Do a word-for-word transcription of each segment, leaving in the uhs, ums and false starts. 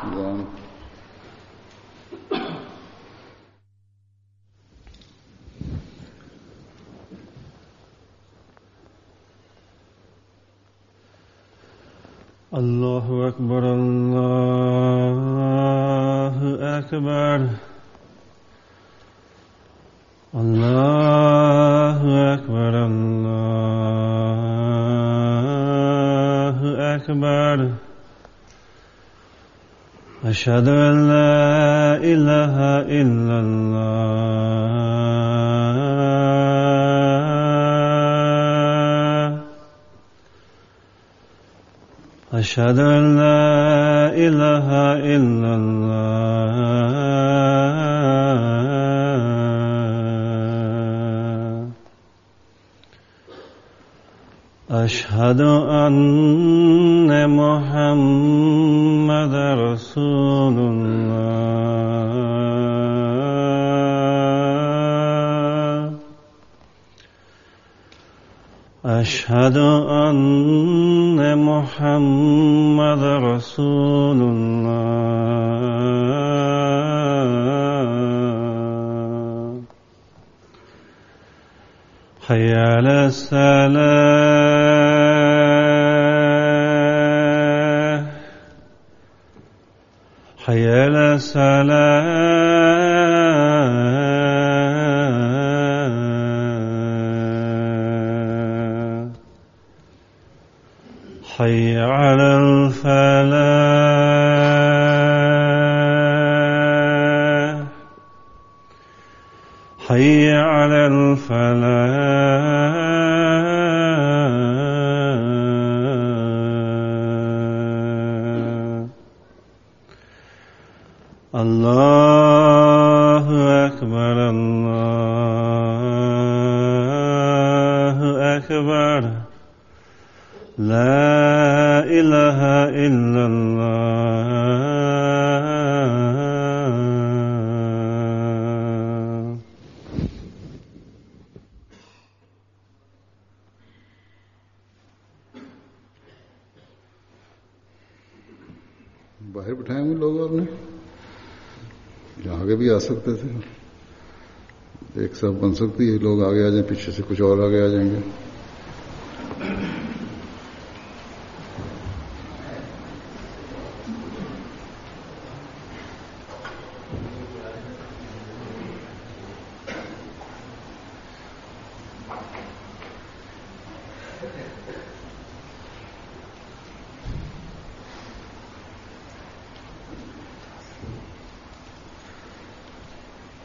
One. Allahu Akbar, Allahu Akbar, Allahu Akbar, Allahu Akbar. Ashhadu an la ilaha illallah. Ashhadu an la ilaha illallah. Ashhadu anna Muhammadan Rasulullah. Ashhadu anna Muhammadan Rasulullah. Hayya ala salah, hayya ala salah. حي على الفلاح، حي على الفلاح. الله أكبر، الله أكبر، لا إله إلا الله. बाहर बिठाए हुए लोग आपने, आगे भी आ सकते थे, एक सब बन सकती है, लोग आगे आ जाएं, पीछे से कुछ और आगे आ जाएंगे।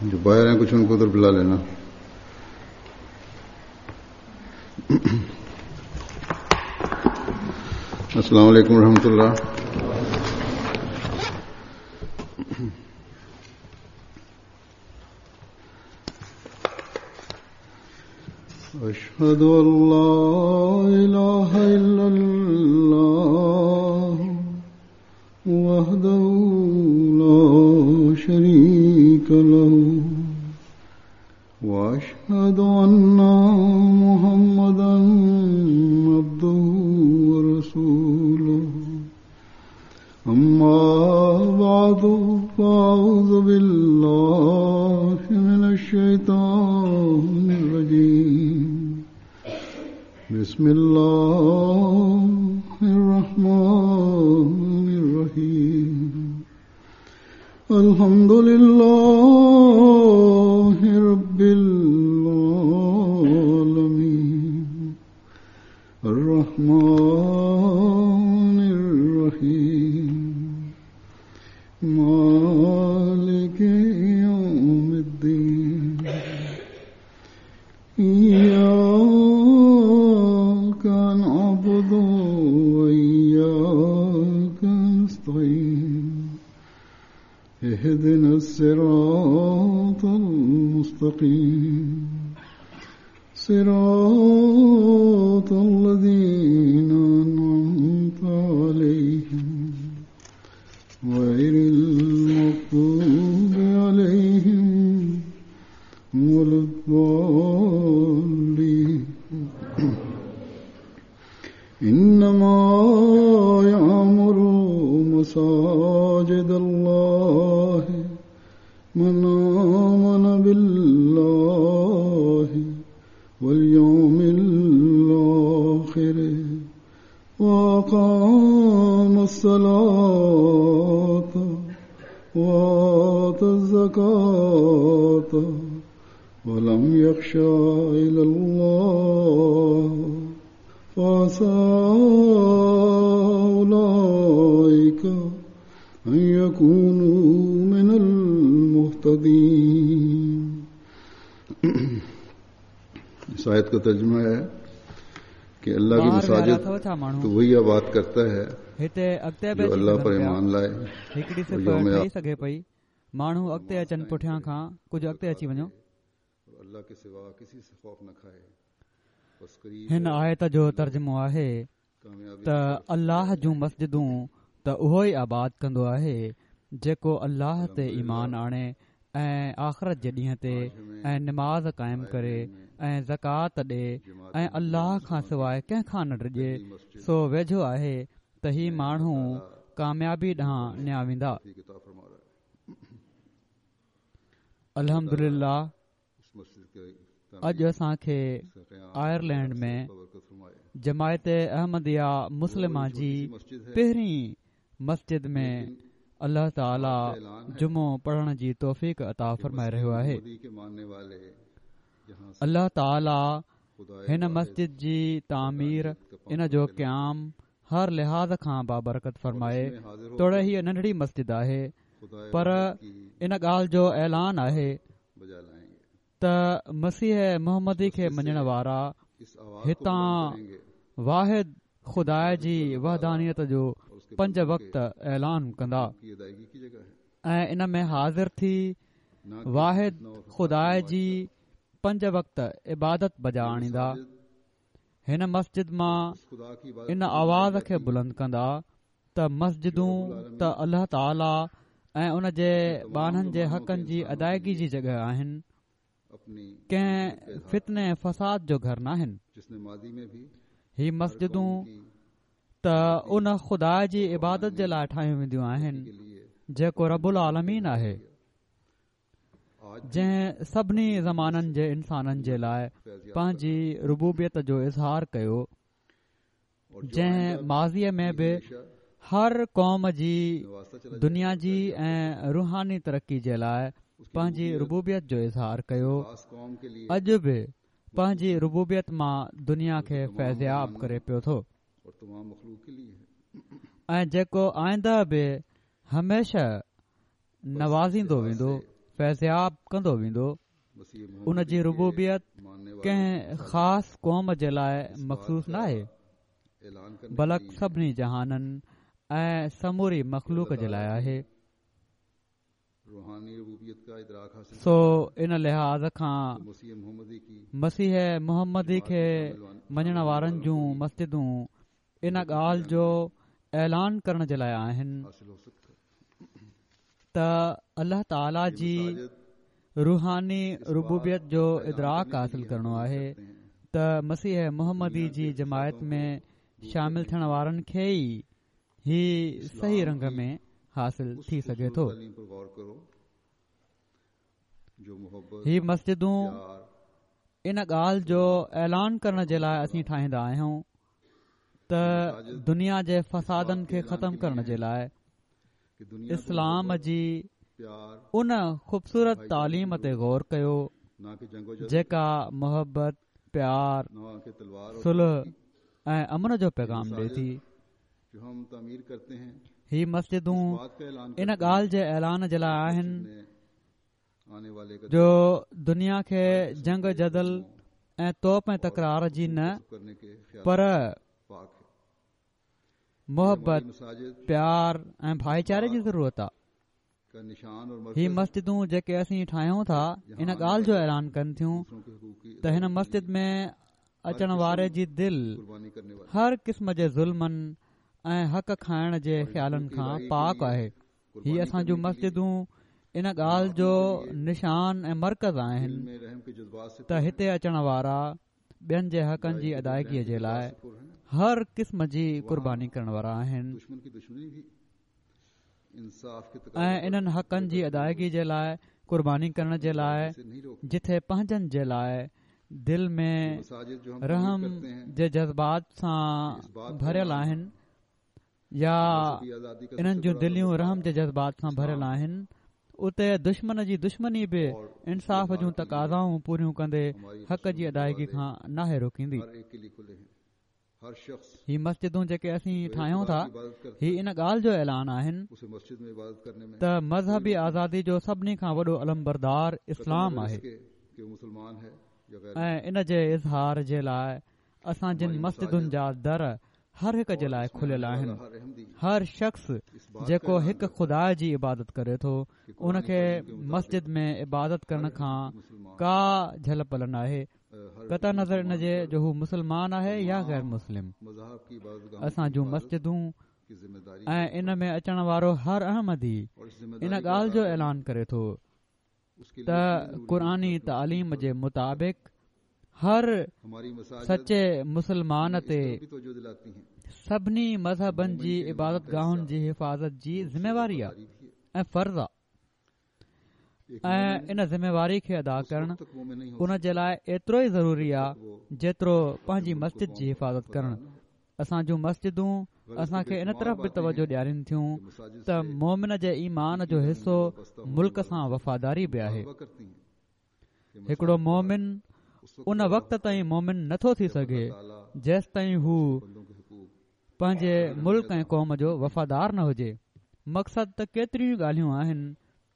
जो बाहर हैं कुछ उनको उधर बुला लेना। अस्सलाम वालेकुम रहमतुल्लाह। अशहदु अल्ला इलाहा इल्लल्लाह वहदहू ला शरीक लहू व अशहदु अन्ना मुहम्मदन अब्दुहू व रसूलुहू। अम्मा बअदु फ़अऊज़ु बिल्लाहि मिनश शैतानिर रजीम। बिस्मिल्लाहिर रहमानिर रहीम। अल्हम्दुलिल्लाहि रब्बिल आलमीन अर्रहमानिर रहीम मालिकि यौमिद्दीन। इय्याका नअबुदु व इय्याका नस्तईन। इहदिना अस्सिरातल मुस्तकीम सिरातल लज़ीना अनअमता अलैहिम गैरिल मग़दूबि अलैहिम वलद्दालीन। इन्नमा यामुरु मसाजिद مساجد الله من آمن بالله واليوم الآخر وأقام الصلاة وآتى الزكاة ولم يخش إلا الله فعسى أولئك أن يكونوا من المهتدين. इस आयत का तर्जुमा है कि अल्लाह की मसाजिद तो वही आबाद करता है जो अल्लाह पर ईमान लाए। हिकिड़ी सिफ़ ठही सघे पई, माण्हू अॻिते अचनि, पुठियां खां कुझु अॻिते अची वञो। अल्लाह के सिवा किसी से खौफ न खाए। हिन आयत जो तर्जुमो आहे त अल्लाह जूं मस्जिदूं त उहो ई आबाद कंदो आहे जेको अल्लाह ते ईमान आणे ऐं आख़िरत जे ॾींहं ते ऐं नमाज़ क़ाइम करे ऐं ज़कात ॾे ऐं अल्लाह खां सवाइ कंहिं खां न डिॼे, सो वेझो आहे त ही माण्हू कामयाबी ॾांहुं निया वेंदा। अल्हम्दुलिल्लाह अॼु असांखे आयरलैंड में जमायत अहमदिया मुस्लिमा जी पहिरीं मस्जिद में अल्लाह ताला जुमो पढ़ण जी तौफ़ीक़ अता फरमाए रहियो आहे। अल्लाह ताला हिन मस्जिद जी तामीर, इन जो क़याम हर लिहाज़ खां बाबरकत फरमाए। तोड़े हीअ नंढड़ी मस्जिद आहे, पर इन ॻाल्हि जो ऐलान आहे त मसीह मोहम्मदी खे मञण वारा हितां वाहिद ख़ुदा जी वहदानियत जो पंज वक़्त ऐलान कंदा ऐं इन में हाज़िर थी वाहिद ख़ुदा जी पंज वक़्त इबादत बजा आणींदा। हिन मस्जिद मां इन आवाज़ खे बुलंद कंदा त मस्जिदूं त अल्लाह ताला ऐं उन जे ॿान्हनि जे हक़नि जी अदायगी जी जॻह आहिनि, कंहिं फितने फसाद जो घर नाहिनि। ही मस्जिदूं त उन ख़ुदा जी इबादत जे लाइ ठाहियूं वेंदियूं आहिनि जेको रबुल आलमीन आहे, जंहिं सभिनी ज़माननि जे इंसाननि जे लाइ पंहिंजी रुबूबियत जो इज़हार कयो, जंहिं माज़ीअ में बि हर क़ौम जी दुनिया जी ऐं रूहानी तरक़ी जे लाइ पंहिंजी रुबूबियत जो इज़हार कयो, अॼु बि पंहिंजी रुबूबियत मां दुनिया खे फैज़याब करे पियो थो ऐं जेको आइंदा बि हमेशह नवाज़ींदो वेंदो, फैज़याब कंदो वेंदो। उन जी रुबूबियत कंहिं ख़ासि क़ौम जे लाइ मख़सूस न आहे, बल्कि सभिनी जहाननि ऐं समूरी मख़लूक जे लाइ आहे। सो इन लिहाज़ खां मसीह मोहम्मदी खे मञण वारनि जूं मस्जिदूं इन ॻाल्हि जो ऐलान करण जे लाइ आहिनि त अल्लाह ताला जी रूहानी रुबूबियत जो इदराक हासिल करिणो आहे त मसीह मोहम्मदी जी जमायत में शामिल थियण वारनि खे ई ही सही रंग में हासिल थी सघे थो। ही मस्जिदूं इन ॻाल्हि जो ऐलान करण जे लाइ असीं ठाहींदा आहियूं त दुनिया जे फसादनि खे ख़तम करण जे लाइ इस्लाम जी उन ख़ूबसूरत तालीम ते गौर कयो जेका मोहबत, प्यार, सुलह ऐं अमन जो पैगाम ॾिए थी। ही मस्जिदूं इन ॻाल्हि जे ऐलान जे लाइ आहिनि जो दुनिया खे जंग जदल ऐं तोप ऐं तकरार जी न पर मोहबत, प्यार ऐं भाईचारे जी ज़रूरत आहे। ही मस्जिदूं जेके असीं ठाहियूं था इन ॻाल्हि जो ऐलान कनि थियूं त हिन मस्जिद में अचण वारे जी दिलि हर क़िस्म जे ज़ुल्मनि ऐं हक़ खाइण जे ख़्यालनि खां पाक आहे। ही असांजूं मस्जिदूं इन ॻाल्हि जो निशान ऐं मरकज़ आहिनि त हिते अचण वारा ॿियनि जे हक़नि जी अदायगीअ जे लाइ हर क़िस्म जी क़ुर्बानी करण वारा आहिनि। ۽ انهن حقن جي ادائگي جي لاءِ قرباني ڪرڻ جي لاءِ جٿي پنهنجن جي لاءِ دل ۾ رحم جي جذبات سان ڀريل آهن يا انهن جون دليون رحم جي جذبات سان ڀريل آهن، اتي دشمن جي دشمني به انصاف جون تقاضائون پوريون ڪندي حق جي ادائگي کان ناهي روڪيندي. هي مسجدون جيڪي اسين ٺاهيون ٿا هي ان ڳالهه جو اعلان آهن ته مذهبي آزادي جو سڀني کان وڏو علمبردار اسلام آهي ۽ ان جي اظهار جي لاءِ اسان جن مسجدن جا در هر هڪ جي لاءِ کليل آهن. هر شخص جيڪو هڪ خدا جي عبادت ڪري ٿو ان کي مسجد ۾ عبادت ڪرڻ کان ڪا جهل پل ناهي، قطع نظر ان جي جو هو مسلمان آهي يا غير مسلم. اسان جون مسجدون ۽ ان ۾ اچڻ وارو هر احمدي ان ڳالهه جو اعلان ڪري ٿو ته قرآني تعليم جي مطابق هر سچي مسلمان تي سڀني مذهبن جي عبادت گاهن جي حفاظت جي ذميواري آهي ۽ فرض آهي ۽ ان ذميواري کي ادا ڪرڻ ان جي لاءِ ايترو ئي ضروري آهي جيترو پنهنجي مسجد جي حفاظت ڪرڻ. اسان جون مسجدون اسان کي ان طرف به توجهه ڏيارين ٿيون ته مومن جي ايمان جو حصو ملڪ سان وفاداري به آهي. هڪڙو مومن ان وقت تائين مومن نٿو ٿي سگهي جيستائين هو پنهنجي ملڪ ۽ قوم جو وفادار نه هجي. مقصد ته ڪيتريون ڳالهيون آهن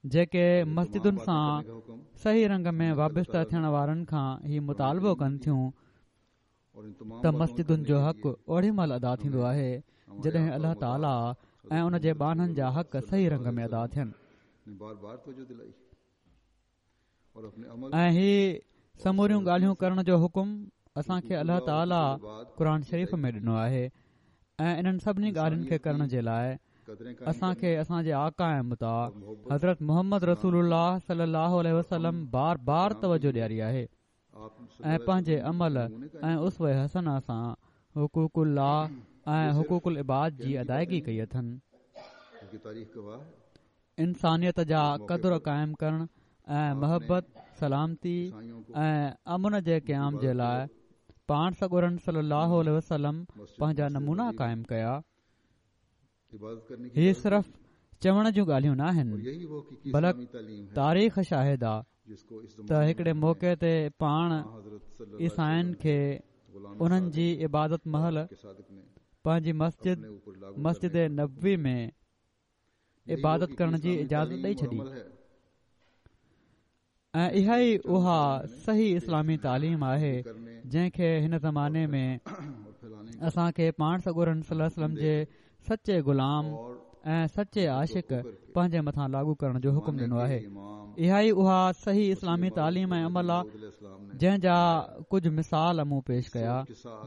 جيڪي مسجدن سان صحيح رنگ ۾ وابسته ٿيڻ وارن کان هي مطالبو ڪن ٿيون ته مسجدن جو حق اوڏي مهل ادا ٿيندو آهي جڏهن الله تعاليٰ ۽ ان جي ٻانهن جا حق صحيح رنگ ۾ ادا ٿين. ۽ هي سموريون ڳالهيون ڪرڻ جو حڪم اسان کي الله تعاليٰ قرآن شريف ۾ ڏنو آهي ۽ انهن سڀني ڳالهين کي ڪرڻ جي لاءِ اسان کي اسان جي آقا ۽ مطاع حضرت محمد رسول الله صلي الله عليه وسلم بار بار توجهه ڏياري آهي ۽ پنهنجي عمل ۽ اسوه حسنه سان حقوق الله ۽ حقوق العباد جي ادائگي ڪئي اٿن. انسانيت جا قدر قائم ڪرڻ ۽ محبت، سلامتي ۽ امن جي قيام جي لاءِ پاڻ سڳورن صلي الله عليه وسلم پنهنجا نمونا قائم ڪيا. هي صرف چوڻ جون ڳالهيون نه آهن بلڪ تاريخ شاهد آ ته هڪڙي موقعي تي پاڻ عيسائين کي انهن جي عبادت مهل پنهنجي مسجد مسجد نبوي ۾ عبادت ڪرڻ جي اجازت ڏئي ڇڏي ۽ اها ئي اها صحيح اسلامي تعليم آهي جنهن کي هن زماني ۾ اسان کي پاڻ سڳورن صلي الله عليه وسلم جي سچي غلام ۽ سچي عاشق پنهنجي مٿان لاڳو ڪرڻ جو حڪم ڏنو آهي. اها ئي اها صحيح اسلامي تعليم ۽ عمل آهي جنهن جا ڪجهه مثال مون پيش ڪيا،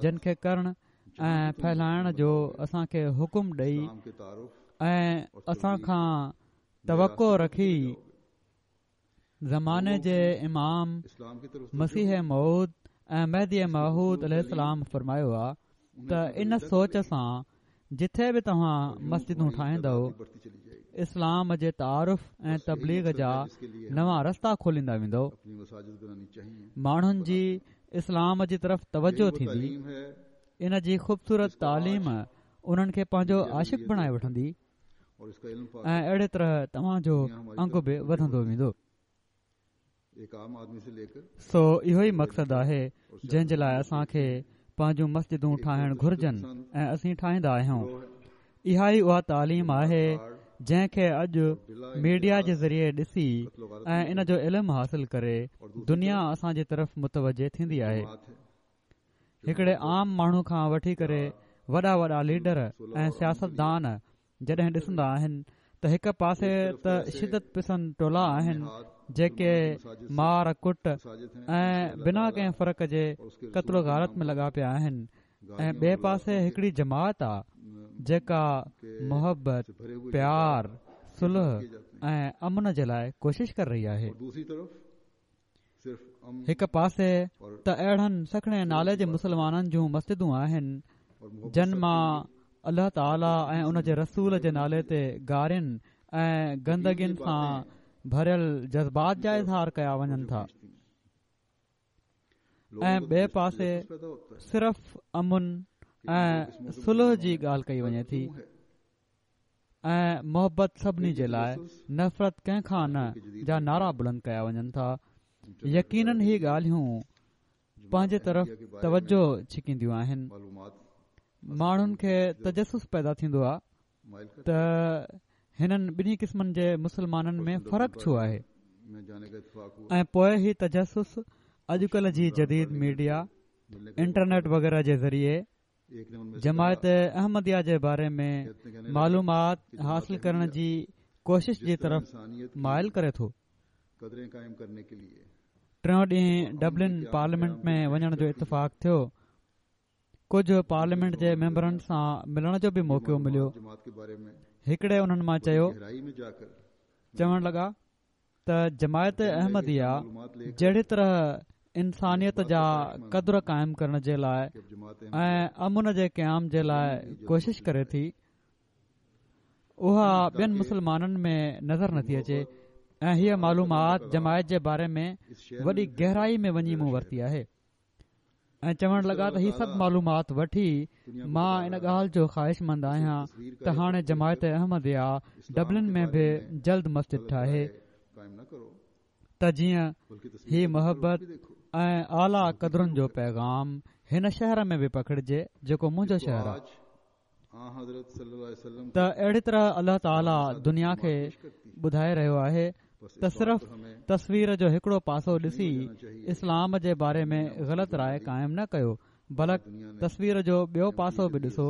جن کي ڪرڻ ۽ ڦهلائڻ جو اسان کي حڪم ڏئي ۽ اسان کان توقع رکي زماني جي امام مسيح موعود ۽ مهدي موعود عليه السلام فرمايو آهي ته ان سوچ سان جٿي به توهان مسجدون ٺاهيندؤ اسلام جي تعارف ۽ تبليغ جا نوان رستا کوليندا ويندؤ، ماڻهن جي اسلام جي طرف توجهه ٿيندي، ان جي خوبصورت تعليم انهن کي پنهنجو عاشق بڻائي وٺندي ۽ اهڙي طرح توهان جو انگ به وڌندو ويندو. سو اهو ئي مقصد آهي جنهن جي لاءِ اسان کي پنهنجون مسجدون ٺاهڻ گهرجن ۽ اسين ٺاهيندا آهيون. اها ئي اها تعليم آهي جنهن کي اڄ ميڊيا جي ذريعي ڏسي ۽ ان جو علم حاصل ڪري دنيا اسان جي طرف متوجه ٿيندي آهي. هڪڙي عام ماڻهو کان وٺي ڪري وڏا وڏا ليڊر ۽ سياستدان جڏهن ڏسندا آهن ته هڪ پاسي ته شدت پسند ٽولا آهن جيڪي مار ڪٽ ۽ بنا ڪنهن فرق جي قتل و غارت ۾ لڳا پيا آهن ۽ ٻئي پاسي هڪڙي جماعت آ جيڪا محبت، پيار، صلح ۽ امن جي لاءِ ڪوشش ڪري رهي آهي. هڪ پاسي ته اهڙن سکڻي نالي جي مسلمانن جون مسجدون آهن جن مان الله تعاليٰ ۽ ان جي رسول جي نالي تي گارين ۽ گندگين سان ڀريل جذبات جا اظهار ڪيا وڃن ٿا ۽ ٻئي پاسي صرف امن ۽ صلح جي ڳالهه ڪئي وڃي ٿي ۽ محبت سڀني جي لاءِ، نفرت ڪنهن کان نه جا نعرا بلند ڪيا وڃن ٿا. يقينن هي ڳالهيون پنهنجي طرف توجه ڇڪينديون آهن. ماڻهن کي تجسس پيدا ٿيندو آهي ته هنن ٻنهي قسمن جي مسلمانن ۾ فرق ڇو آهي ۽ پوءِ هي تجسس اڄڪلهه جي جديد ميڊيا، انٽرنيٽ وغيره جي ذريعي جماعت احمديه جي باري ۾ معلومات حاصل ڪرڻ جي ڪوشش جي طرف مائل ڪري ٿو. ٽيون ڏينهن ڊبلن پارليامينٽ ۾ وڃڻ جو اتفاق ٿيو. ڪجهه پارليامينٽ جي ميمبرن سان ملڻ جو به موقعو مليو. هڪڙي انهن مان چيو، چوڻ لڳا ته جماعت احمديه جهڙي طرح انسانيت جا قدر قائم ڪرڻ جي لاءِ ۽ امن جي قيام جي لاءِ ڪوشش ڪري ٿي، اها ٻين مسلمانن ۾ نظر نٿي اچي ۽ هيءَ معلومات جماعت جي باري ۾ وڏي گهرائي ۾ وڃي مون ورتي آهي. ۽ چوڻ لڳا ته هي سڀ معلومات وٺي مان ان ڳالهه جو خواهشمند آهيان ته هاڻي جماعت احمديه ڊبلن ۾ به جلد مسجد ٺاهي ته جيئن هي محبت ۽ اعليٰ قدرن جو پيغام هن شهر ۾ به پکڙجي جيڪو منهنجو شهر آهي. ته اهڙي طرح الله تعاليٰ دنيا کي ٻڌائي رهيو آهي ته صرف تصوير جو هڪڙو پاسو ڏسي اسلام جي باري ۾ غلط راءِ قائم نه ڪيو، بلڪ تصوير جو ٻيو پاسو به ڏسو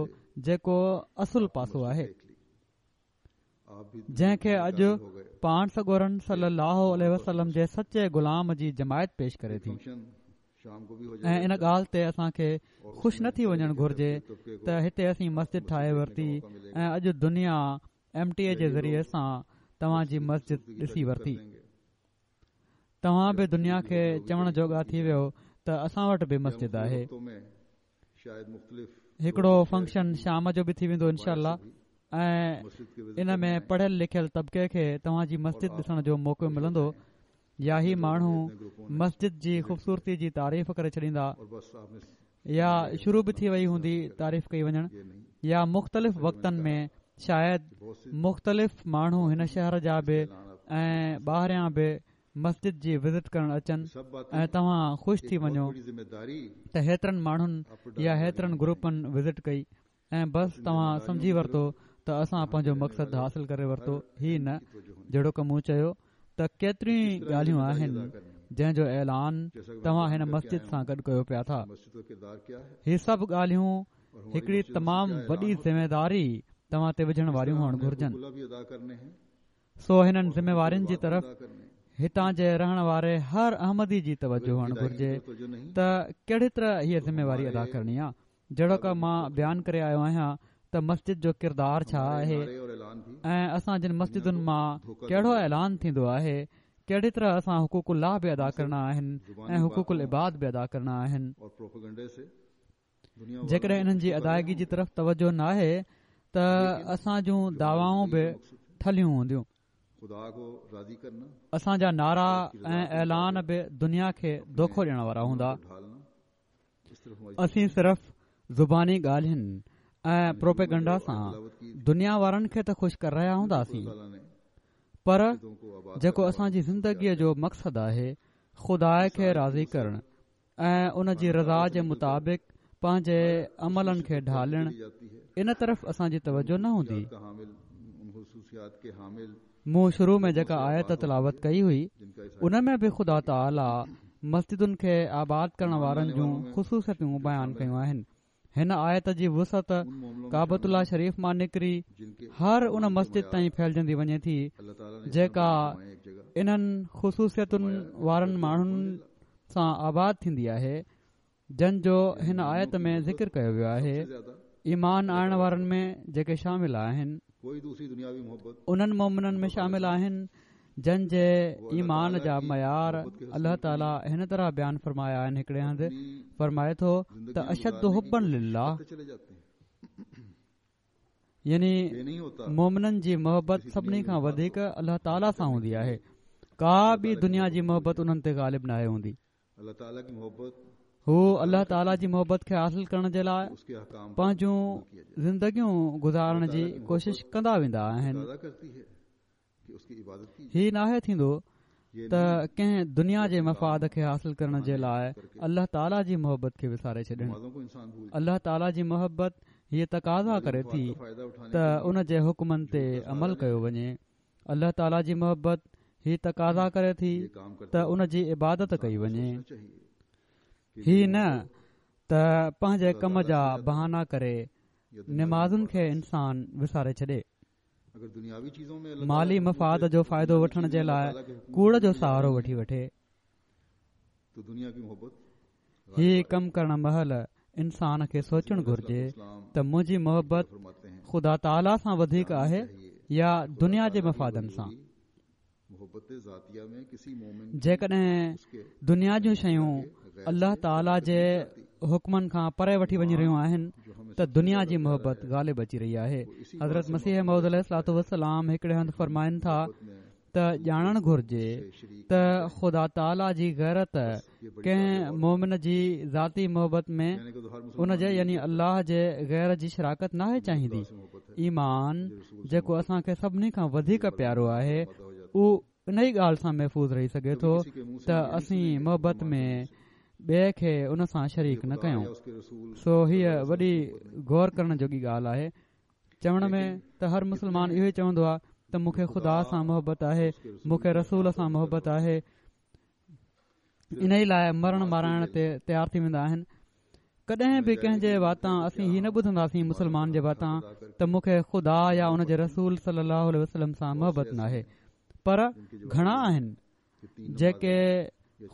جيڪو اصل پاسو آهي، جنهن کي اڄ پاڻ سڳورن صلي الله عليه وسلم جي سچي غلام جي جماعت پيش ڪري ٿي. ۽ ان ڳالهه تي اسان کي خوش نه ٿي وڃڻ گهرجي ته هتي اسين مسجد ٺاهي ورتي ۽ اڄ دنيا ايم ٽي اي جي ذريعي سان توهان جي مسجد ڏسي ورتي. توهان به دنيا کي چوڻ جوڳا ٿي ويو ته اسان وٽ به مسجد آهي. هڪڙو فنڪشن شام جو به ٿي ويندو انشاء الله ۽ ان ۾ پڙهيل لکيل طبقي کي توهان جي مسجد ڏسڻ جو موقعو ملندو، يا هي ماڻهو مسجد جي خوبصورتي جي تعريف ڪري ڇڏيندا، يا شروع به ٿي وئي هوندي تعريف ڪئي وڃڻ، يا مختلف وقتن ۾ شايد مختلف ماڻهو هن شهر جا به ۽ ٻاهريان به مسجد جي وزٽ ڪرڻ اچن ۽ توهان خوش ٿي وڃو ته هيترن ماڻهن يا هيترن گروپن وزٽ ڪئي ۽ بس توهان سمجهي ورتو ته اسان پنهنجو مقصد حاصل ڪري ورتو. هي نه، جهڙوڪ مون چيو ته ڪيتريون ڳالهيون آهن جنهن جو اعلان توهان هن مسجد سان گڏ ڪيو پيا ٿا. هي سڀ ڳالهيون هڪڙي تمام وڏي ذميداري توهان تي وجهڻ واريون هئڻ گهرجن. سو هنن ذميوارين جي طرف هتان جي رهڻ واري هر احمدي جي توجه هئڻ گهرجي ته ڪهڙي طرح هيءَ ذميواري ادا ڪرڻي آهي. جهڙوڪ مان بيان ڪري آيو آهيان ته مسجد جو ڪردار ڇا آهي ۽ اسان جن مسجدن مان ڪهڙو اعلان ٿيندو آهي، ڪهڙي طرح اسان حقوق الله به ادا ڪرڻا آهن ۽ حقوق العباد به ادا ڪرڻا آهن. جيڪڏهن انهن جي ادائگي جي طرف توجه ناهي ته اسان جون دعوائون به ٺلهيون هونديون. اسان جا نعرا ۽ اعلان به دنيا کي دوکو ڏيڻ وارا هوندا. اسين صرف زباني ڳالهين ۽ پروپيگنڊا سان دنيا وارن کي ته خوش ڪري رهيا هونداسين، پر جيڪو اسان جي زندگيءَ جو مقصد آهي خدا کي راضي ڪرڻ ۽ ان جي رضا جي مطابق پنهنجي عملن کي ڍالڻ، ان طرف اسان جي توجه نه هوندي. مون شروع ۾ جيڪا آيت تلاوت ڪئي هئي ان ۾ به خدا تعاليٰ مسجدن کي آباد ڪرڻ وارن جون خصوصيتون بيان ڪيون آهن. هن آيت جي وسعت ڪعبة الله شريف مان نڪري هر ان مسجد تائين ڦهلجندي وڃي ٿي جيڪا انهن خصوصيتن وارن ماڻهن سان آباد ٿيندي آهي جن جو هن آيت ۾ ذڪر ڪيو ويو آهي. ايمان آڻڻ وارن ۾ جيڪي شامل آهن انهن مومنن ۾ شامل آهن جن جي ايمان جا معيار الله تعاليٰ هن طرح بيان فرمايا آهن. هڪڙي هنڌ فرمائي ٿو ته اشد حبا لله، يعني مومنن جي محبت سڀني کان وڌيڪ الله تعاليٰ سان هوندي آهي. ڪا به دنيا جي محبت انهن تي غالب ناهي هوندي. هو الله تعاليٰ جي محبت کي حاصل ڪرڻ جي لاءِ پنهنجون زندگيون گذارڻ جي ڪوشش ڪندا ويندا آهن. هي ناهي ٿيندو ته ڪنهن دنيا جي مفاد کي حاصل ڪرڻ جي لاءِ الله تعاليٰ جي محبت کي وساري ڇڏن. الله تعاليٰ جي محبت هيءَ تقاضا ڪري ٿي ته ان جي حڪمن تي عمل ڪيو وڃي. الله تعاليٰ جي محبت هيءَ تقاضا ڪري ٿي ته ان جي عبادت ڪئي وڃي. هي نه ته پنهنجي ڪم جا بهانا ڪري نمازن کي انسان وساري ڇڏي. مالي مفاد جو فائدو وٺڻ جي لاءِ ڪوڙ جو سهارو وٺي وٺي. هي ڪم ڪرڻ مهل انسان کي سوچڻ گهرجي ته منهنجي محبت خدا تعاليٰ سان وڌيڪ آهي يا دنيا جي مفادن سان. جيڪڏهن دنيا جون شيون الله تعاليٰ جي حڪمن کان پري وٺي وڃي رهيون آهن ته دنيا جي محبت غالب اچي رهي آهي. حضرت مسيح موعود عليه الصلوة والسلام هڪڙي هنڌ فرمائن ٿا ته ڄاڻڻ گهرجي ته خدا تعاليٰ جي غيرت ڪنهن مومن جي ذاتي محبت ۾ ان جي يعني الله جي غير جي شراڪت ناهي چاهيندي. ايمان جيڪو اسان کي سڀني کان وڌيڪ پيارو آهي اهو ان ئي ڳالهه سان محفوظ رهي سگهي ٿو ته اسين محبت ۾ ٻئي کي ان سان شريڪ نه ڪيون. سو هيءَ وڏي غور ڪرڻ جوڳي ڳالهه آهي. چوڻ ۾ ته هر مسلمان اهو ئي چوندو آهي ته مون کي خدا سان محبت آهي، مون کي رسول سان محبت آهي، ان ئي لاءِ مرڻ مارائڻ تي تيار ٿي ويندا آهن. ڪڏهن به ڪنهن جي واتان اسين هي نه ٻڌنداسين مسلمان جي واتان ته مون کي خدا يا ان جي رسول صلي الله عليه وسلم سان محبت ناهي. پر گهڻا آهن جيڪي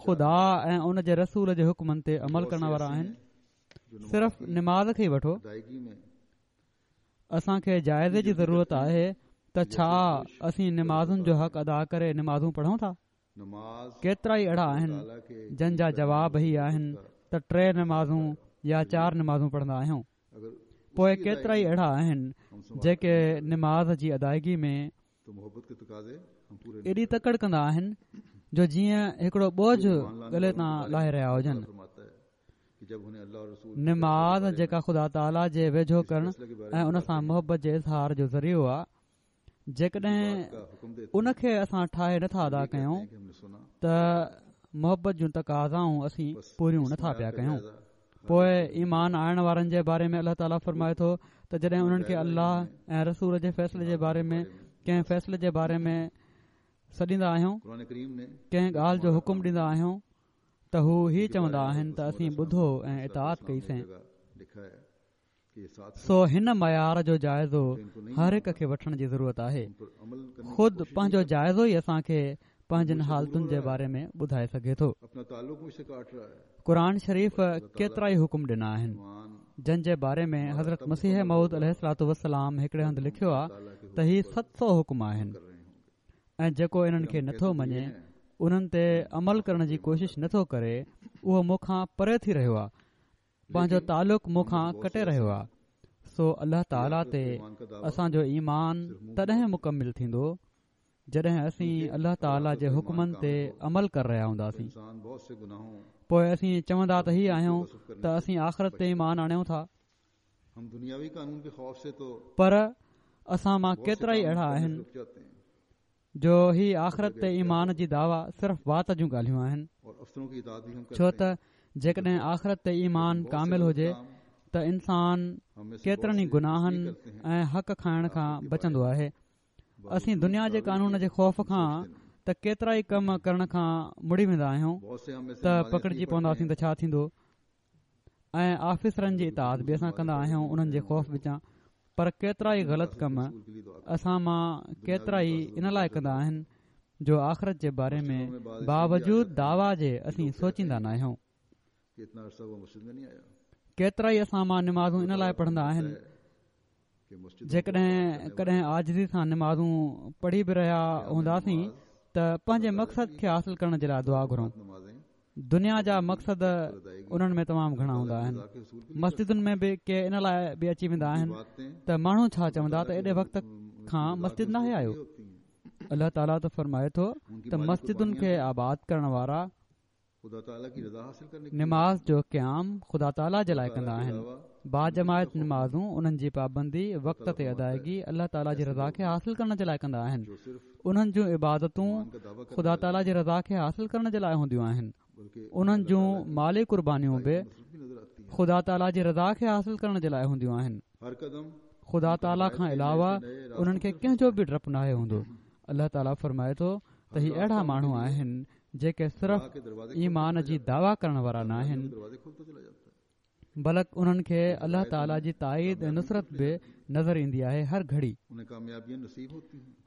خدا ۽ ان جي رسول جي حڪمن تي عمل ڪرڻ وارا آهن. صرف نماز کي ئي وٺو، اسان کي جائزي جي ضرورت آهي ته ڇا اسين نمازن جو حق ادا ڪري نمازون پڙهون ٿا؟ ڪيترا ئي اهڙا آهن جن جا جواب هي آهن ته ٽي نمازون يا چار نمازون پڙهندا آهيون. پوءِ ڪيترا ئي اهڙا آهن جيڪي نماز جي ادائگي ۾ ايڏي تڪڙ ڪندا آهن جو جيئن هڪڙو بوجهه ڳلي تان لاهي رهيا هجن. نماز جيڪا خدا تعاليٰ جي ويجهو ڪرڻ ۽ ان سان محبت جي اظهار جو ذريعو آهي، جيڪڏهن ان کي اسان ٺاهي نٿا ادا ڪيون ته محبت جون تقاضائون اسين پوريون نٿا پيا ڪيون. پوءِ ايمان آڻڻ وارن جي باري ۾ الله تعاليٰ فرمائي ٿو ته جڏهن انهن کي الله ۽ رسول جي فيصلي جي باري ۾ ڪنهن فيصلي جي باري ۾ سڏيندا آهيون، ڪنهن ڳالهه جو حڪم ڏيندا آهيون ته هو هي چوندا آهن ته اسين ٻڌو ۽ اطاعت ڪئيسين. سو هن معيار جو جائزو هر هڪ کي وٺڻ جي ضرورت آهي. خود پنهنجو جائزو ئي اسان کي پنهنجن حالتن جي باري ۾ ٻڌائي سگهي ٿو. قرآن شريف ڪيترا ئي حڪم ڏنا آهن جن جي باري ۾ حضرت مسيح موعود عليه الصلوة والسلام هڪڙي هنڌ لکيو آهي ته هي ست سؤ حڪم آهن ۽ جيڪو انهن کي نٿو مڃي، انهن تي عمل ڪرڻ جي ڪوشش نٿو ڪري، اهو مون کان پري ٿي رهيو آهي، پنهنجو تعلق مون کان ڪٽي رهيو آهي. سو الله تعاليٰ تي اسان جو ايمان تڏهن مڪمل ٿيندو جڏهن اسين الله تعاليٰ جي حڪمن تي عمل ڪري رهيا هونداسين. پوءِ اسين چوندا ته هي آهيون ته اسين آخرت تي ايمان آڻيون ٿا، پر اسان مان ڪيترا ئي اهڙا آهن جو هي آخرت تي ايمان جي دعويٰ صرف وات جون ڳالهيون آهن. ڇو ته جيڪڏهن آخرت تي ايمان ڪامل هجي ته انسان ڪيترن ئي گناهن ۽ حق کائڻ کان بچندو آهي. اسين دنيا جي قانون جي خوف کان ته ڪيترا ئي ڪم ڪرڻ کان مڙي ويندا آهيون ته پڪڙجي پونداسين ته ڇا ٿيندو، ۽ آفيسرن جي اطاعت به اسان ڪندا آهيون انهن جي خوف وچان. پر ڪيترا ئي غلط ڪم اسان مان ڪيترا ئي ان لاءِ ڪندا آهن جو آخرت جي باري ۾ باوجود دعويٰ جي اسين سوچيندا نه آهيون. ڪيترا ئي اسان مان نمازون ان لاءِ پڙهندا آهن، جيڪڏهن ڪڏهن عاجزي سان نمازون پڙهي به رهيا هونداسين ته پنهنجي مقصد کي حاصل ڪرڻ جي لاءِ دعا گهرون. دنيا جا مقصد انهن ۾ تمام گهڻا هوندا آهن. مسجدن ۾ به ڪي ان لاءِ به اچي ويندا آهن ته ماڻهو ڇا چوندا ته ايڏي وقت کان مسجد ناهي آيو. الله تعاليٰ ته فرمائي ٿو ته مسجدن کي آباد ڪرڻ وارا نماز جو قيام خدا تعاليٰ جي لاءِ ڪندا آهن. باجماعت نمازون انهن جي پابندي وقت تي ادائگي الله تعاليٰ جي رضا کي حاصل ڪرڻ جي لاءِ ڪندا آهن. انهن جون عبادتون خدا تعاليٰ جي رضا کي حاصل ڪرڻ جي لاءِ هونديون آهن. انهن جون مالي قربانيون به خدا تعاليٰ جي رضا کي حاصل ڪرڻ جي لاءِ هونديون آهن. خدا تعاليٰ کان علاوه انهن کي ڪنهن جو به ڊپ ناهي هوندو. الله تعاليٰ فرمائي ٿو ته هي اهڙا ماڻهو آهن جيڪي صرف ايمان جي دعويٰ ڪرڻ وارا نه آهن، بلڪ انهن کي الله تعاليٰ جي تائيد ۽ نصرت به نظر ايندي آهي. هر گهڙي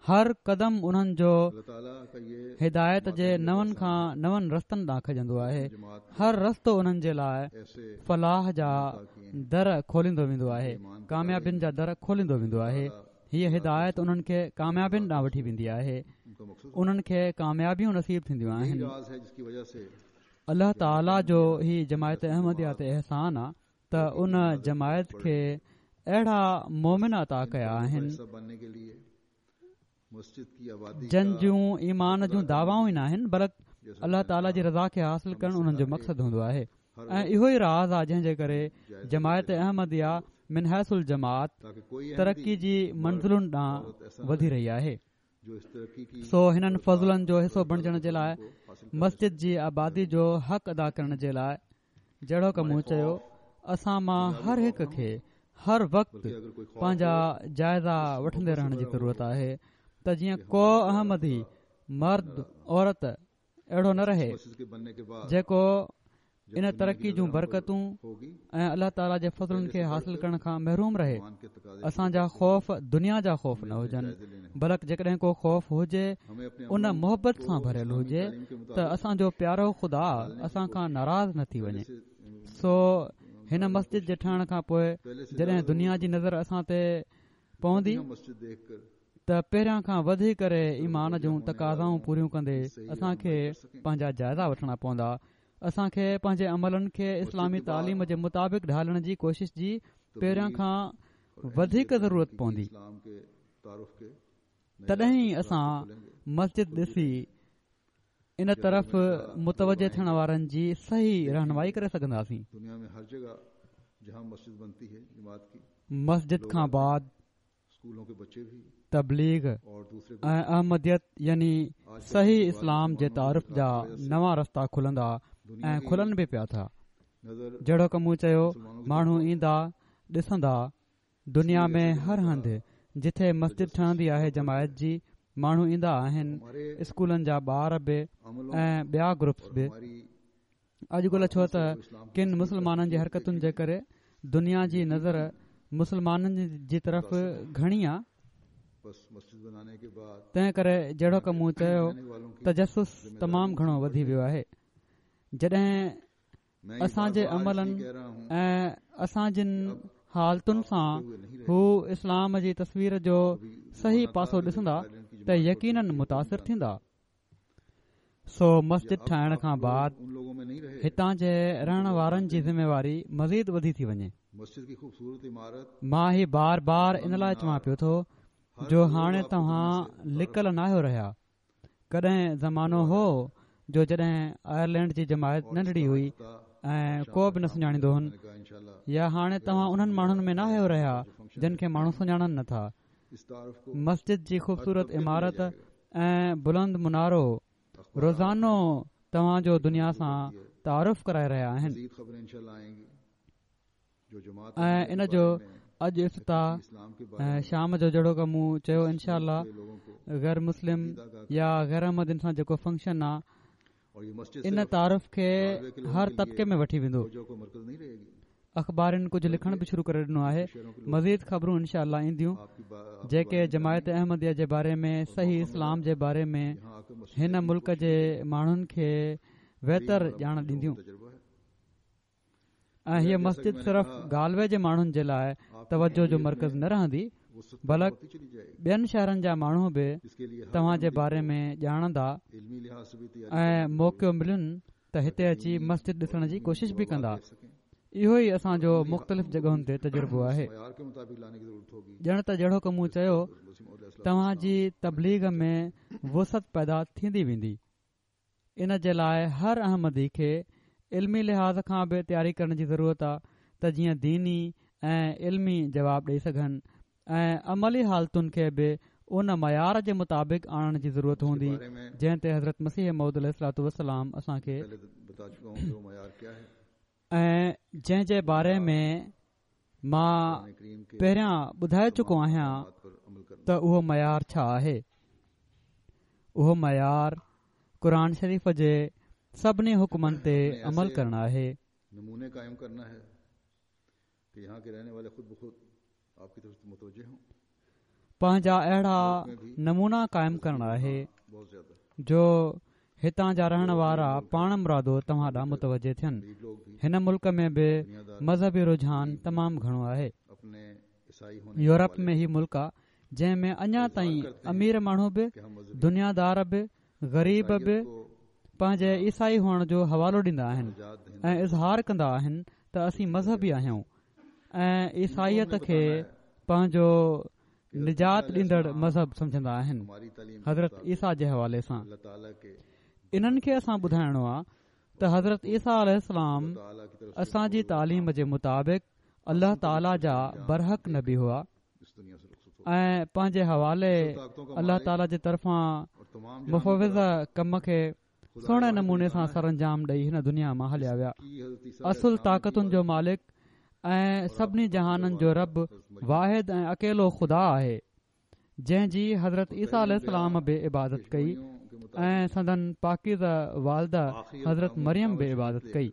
هر قدم انهن جو هدايت جي نون کان نون رستن ڏانهن کڄندو آهي. هر رستو انهن جي لاءِ فلاح جا در کوليندو ويندو آهي، ڪاميابين جا در کوليندو ويندو آهي. هيءَ هدايت انهن کي ڪاميابين ڏانهن وٺي ويندي آهي. انهن کي ڪاميابيون نصيب ٿينديون آهن. الله تعاليٰ جو هي جماعت احمديه تي احسان آهي ته ان جماعت کي اهڙا مومن عطا ڪيا آهن جن جون ايمان جون دعوائون ئي نه آهن، بلڪ الله تعاليٰ جي رضا کي حاصل ڪرڻ انهن جو مقصد هوندو آهي. ۽ اهو ئي راز آهي جنهن جي ڪري جماعت احمديه من حيث الجماعت ترقي جي منزلن ڏانهن وڌي رهي آهي. سو هنن فضلن جو حصو بڻجڻ جي لاءِ مسجد جي آبادي جو حق ادا ڪرڻ جي لاءِ جهڙوڪ مون چيو، اسان مان هر هڪ کي هر وقت پنهنجا جائزا وٺندي رهڻ جي ضرورت آهي ته جيئن ڪو احمدي مرد عورت اهڙو نه رهي جيڪو ان ترقي جون برڪتون ۽ الله تعاليٰ جي فضلن کي حاصل ڪرڻ کان محروم رهي. اسان جا خوف دنيا جا خوف نه هجن، بلڪ جيڪڏهن ڪو خوف هجي ان محبت سان ڀريل هجي ته اسان جو پيارو خدا اسان کان ناراض نه ٿي وڃي. سو هن مسجد جي ٺهڻ کان پوءِ جڏهن دنيا جي نظر اسان تي پوندي ته پهريان کان وڌي ڪري ايمان جون تقاضائون پوريون ڪندي اسان کي پنهنجا جائزا وٺڻا پوندا. اسان کي پنهنجي عملن کي اسلامي تعليم جي مطابق ڍالڻ جي ڪوشش جي پهريان کان وڌيڪ ضرورت پوندي. تڏهن ئي اسان مسجد ڏسي ان طرف متوجه ٿيڻ وارن جي صحيح رهنمائي ڪري سگهنداسين. مسجد کان بعد تبليغ ۽ احمديت يعني صحيح اسلام جي تعارف جا نوان رستا کلندا ۽ کلن به پيا ٿا. جهڙوڪ مون چيو، ماڻهو ايندا ڏسندا. دنيا ۾ هر هنڌ جٿي مسجد ٺهندي آهي جماعت جي، ماڻهو ايندا آهن، اسڪولن جا ٻار به ۽ ٻيا گروپس به. اڄڪلهه ڇو ته ڪن مسلمانن جي حرڪتن جي ڪري دنيا جي نظر مسلمانن جي طرف گهڻي آهي، تنهن ڪري جهڙوڪ مون چيو تجسس تمام گهڻو وڌي ويو آهي. جڏهن اسان جي عملن ۽ اسان جن حالتن سان هو اسلام جي تصوير جو صحيح پاسو ڏسندا ته يقينن متاثر ٿيندا. سو مسجد ٺاهڻ کان بعد هتان جي رهڻ وارن جي ذميواري مزيد وڌي ٿي وڃي. مان هي بار بار ان لاءِ چوان پيو ٿو جو هاڻي توهان لڪل ناهيو رهيا. ڪڏهن زمانو هو جو جڏهن آئرلينڊ جي جماعت ننڍڙي هئي ۽ ڪو به نه سڃاڻيندو هن، يا هاڻي توهان انهن ماڻهن ۾ ناهيو رهيا جن کي ماڻهو سڃاڻن نٿا. مسجد جي خوبصورت عمارت ۽ بلند منارو روزانو توهان جو دنيا سان تعارف ڪرائي رهيا آهن ۽ ان جو اڄ افتتاح شام جو جهڙوڪ مون چيو انشاء الله غير مسلم يا غير احمدين سان جيڪو فنڪشن آهي ان تعارف کي هر طبقي ۾ وٺي ويندو. اخبارن ڪجهه لکڻ به شروع ڪري ڏنو آهي. مزيد خبرون انشاء الله اينديون جيڪي جماعت احمديه جي باري ۾ صحيح اسلام جي باري ۾ هن ملڪ جي ماڻهن کي ويتر ڄاڻ ڏينديون. ۽ هيءَ مسجد صرف گالوي جي ماڻهن جي لاءِ توجه جو مرڪز نه رهندي، بلڪ ٻين شهرن جا ماڻهو به توهان جي باري ۾ ڄاڻندا ۽ موقعو ملين ته هتي اچي مسجد ڏسڻ جي ڪوشش به ڪندا. اهو ئي اسان جو مختلف جڳهن تي تجربو آهي. ڄڻ ته جهڙوڪ مون چيو، توهان جي تبليغ ۾ وسعت پيدا ٿيندي ويندي. ان جي لاءِ هر احمدي کي علمي لحاظ کان به تياري ڪرڻ جي ضرورت آهي ته جيئن ديني ۽ علمي جواب ڏئي سگهن ۽ عملي حالتن کي به ان معيار جي مطابق آڻڻ جي ضرورت هوندي جنهن تي حضرت مسيح موعود عليه الصلوة والسلام اسان کي ۽ جنهن جي باري ۾ مان پهريان ٻڌائي چڪو آهيان ته اهو معيار ڇا آهي. اهو معيار قرآن شريف جي سڀني حڪمن تي عمل ڪرڻ آهي. پنهنجا اهڙا نمونا قائم ڪرڻ آهي جو هتان جا رهڻ وارا پاڻ مرادو توهان ڏانهن متوجه ٿين. هن ملڪ ۾ به مذهبي رجحان تمام گهڻو آهي. يورپ ۾ هي ملڪ آهي جنهن ۾ اڃا تائين امير ماڻهو به، دنيادار به، غريب به پنهنجي عيسائي هئڻ جو حوالو ڏيندا آهن ۽ اظهار ڪندا آهن ته اسين مذهبي آهيون ۽ عيسائيت کي پنهنجو نجات ڏيندڙ مذهب سمجهندا آهن. حضرت عيسيٰ جي حوالي سان انهن کي اسان ٻڌائڻو آهي ته حضرت عيسيٰ عليه السلام اسان جي تعليم جي مطابق الله تعاليٰ جا برحق نبي هئا ۽ پنهنجي حوالي الله تعاليٰ جي طرفان مفوضه ڪم کي سهڻي نموني سان سرانجام ڏئي هن دنيا مان هليا ويا. اصل طاقتن جو مالڪ ۽ سڀني جهانن جو رب واحد ۽ اڪيلو خدا آهي جنهن جي حضرت عيسيٰ عليه السلام به عبادت ڪئي ۽ سندن پاڪيزه والده حضرت مريم به عبادت ڪئي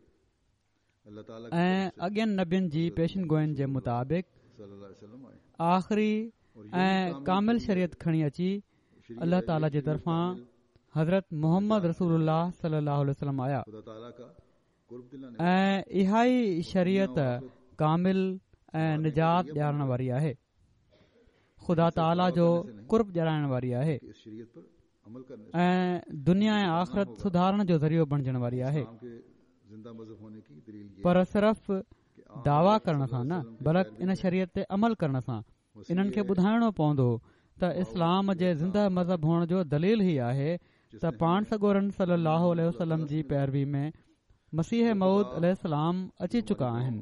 ۽ اڳين نبين جي پيشن گوئين جي مطابق آخري ۽ ڪامل شريعت کڻي اچي الله تعاليٰ جي طرفان حضرت محمد رسول الله صلي الله عليه وسلم آيا ۽ اها ئي شريعت ڪامل ۽ نجات ڏيارڻ واري آهي، خدا تعاليٰ جو قرب ڏيارڻ واري آهي ۽ دنيا ۽ آخرت سڌارڻ جو ذريعو بڻجڻ واري آهي. پر صرف دعويٰ ڪرڻ سان نه بلڪ ان شريعت تي عمل ڪرڻ سان انهن کي ٻڌائڻو پوندو ته اسلام جي زنده مذهب هئڻ جو دليل هي آهي ته پاڻ سڳورن صلي الله عليه وسلم جي پيروي ۾ مسيح موعود عليه السلام اچي چڪا آهن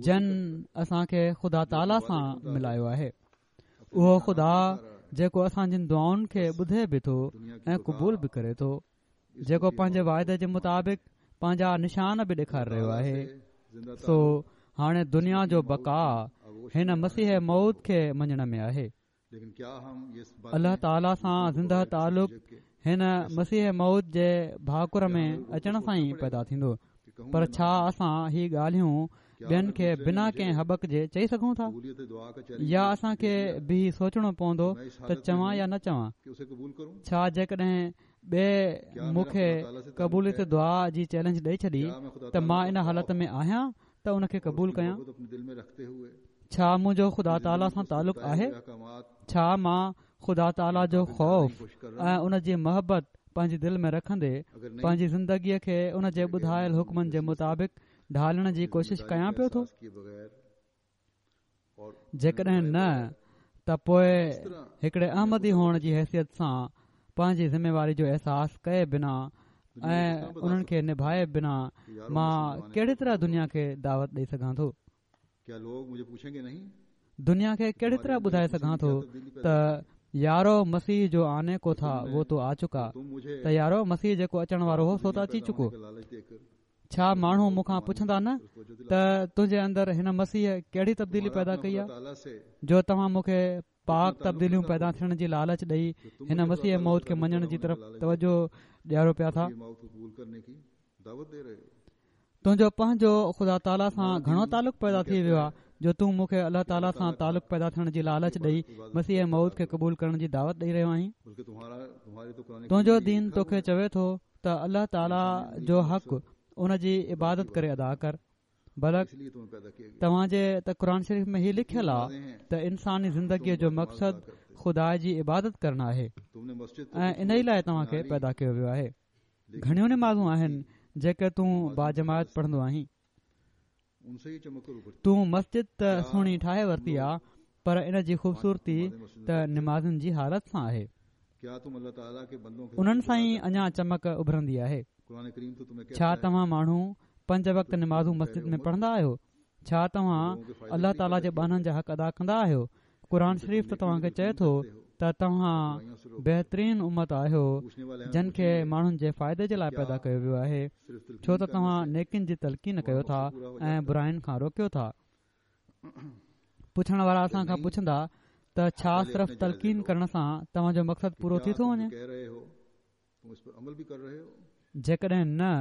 جن اسان کي خدا تعاليٰ سان ملايو آهي. اهو خدا جيڪو اسان جن دعائن کي ٻڌي به ٿو ۽ قبول به ڪري ٿو، جيڪو پنهنجي واعدي جي مطابق پنهنجا نشان به ڏيکاري رهيو آهي. سو هاڻي دنيا جو بقا هن مسيح موعود کي مڃڻ ۾ آهي. الله تعاليٰ سان زنده تعلق هن مسيح موعود جي ڀاڪر ۾ اچڻ سان ئي پيدا ٿيندو. پر ڇا اسان هي ڳالهيون ٻين کي بنا ڪنهن هٻڪ جي چئي سگهون ٿا؟ يا اسان کي بيهي سوچڻو پوندو ته چوان يا نه چوان؟ ڇا جيڪڏهن ٻئي مون کي قبوليت دعا جي چئلينج ڏئي ڇڏي ته مان ان حالت ۾ آهيان ته ان کي قبول ڪيان؟ ڇا منهنجو خدا تعاليٰ سان تعلق آهي؟ ڇا مان خدا تعاليٰ جو خوف ۽ ان جي محبت پنهنجي دل ۾ رکندي پنهنجي زندگيء کي ان جي ٻڌايل حڪمن جي مطابق ڍالڻ جي ڪوشش ڪيان پيو ٿو؟ جيڪڏهن نه ته پوءِ هڪڙي احمدي هئڻ جي حيثيت سان پنهنجي ذميواري جو احساس ڪئي بنا ۽ انهن کي نڀائي بنا مان ڪهڙي طرح دنيا کي دعوت ڏئي سگهان ٿو؟ دنيا کي ڪهڙي طرح ٻڌائي سگهان ٿو ته يارو مسيح جو آني ڪو ٿا وو تو آ چڪا، ته يارو مسيح جيڪو اچڻ وارو هو سو ته اچي چڪو. ڇا ماڻهو مون کان پڇندا نه ته تنهنجي اندر هن مسيح ڪهڙي تبديلي پيدا ڪئي آهي جو توهان مون کي پاڪ تبديليون پيدا ٿيڻ جي لالچ ڏئي هن مسيح موعود کي مڃڻ جي طرف توجه ڏيارو پيا ٿا؟ تنهنجو پنهنجو خدا تعاليٰ سان گهڻو تعلق پيدا ٿي ويو آهي جو تون مون کي الله تعاليٰ سان تعلق پيدا ٿيڻ جي لالچ ڏئي مسيح موعود کي قبول ڪرڻ جي دعوت ڏئي رهيو آهين؟ تنهنجو دين توکي چوي ٿو ته الله تعاليٰ جو حق ان جي عبادت ڪري ادا ڪر، بلڪ توهان جي ته قرآن شريف ۾ هي لکيل آهي ته انساني زندگيء جو مقصد خدا جي عبادت ڪرڻ آهي ۽ ان ئي لاءِ توهان کي پيدا ڪيو ويو آهي. گهڻيون نمازون آهن جيڪي تون باجماعت پڙهندو آهين. تون مسجد ته سهڻي ٺاهي ورتي آ، پر ان جي خوبصورتي ته نمازن جي حالت سان آهي. انهن سان ئي اڃا چمڪ اڀرندي آهي. ڇا توهان ماڻهو پنج وقت نمازون مسجد ۾ پڙهندا آهيو؟ ڇا توهان الله تعاليٰ جي ٻانهن جا حق ادا ڪندا آهيو؟ قرآن شريف ته توهان کي چئي ٿو ته توهان بهترين امت آهيو جن کي ماڻهن جي فائدي جي لاءِ پيدا ڪيو ويو آهي، ڇو ته توهان نيڪين جي تلقين ڪيو ٿا ۽ براين کان روڪيو ٿا. پڇڻ وارا اسان کان پڇندا ته ڇا صرف تلقين ڪرڻ سان توهان جو مقصد پورو ٿي ٿو وڃي؟ جيڪڏهن نه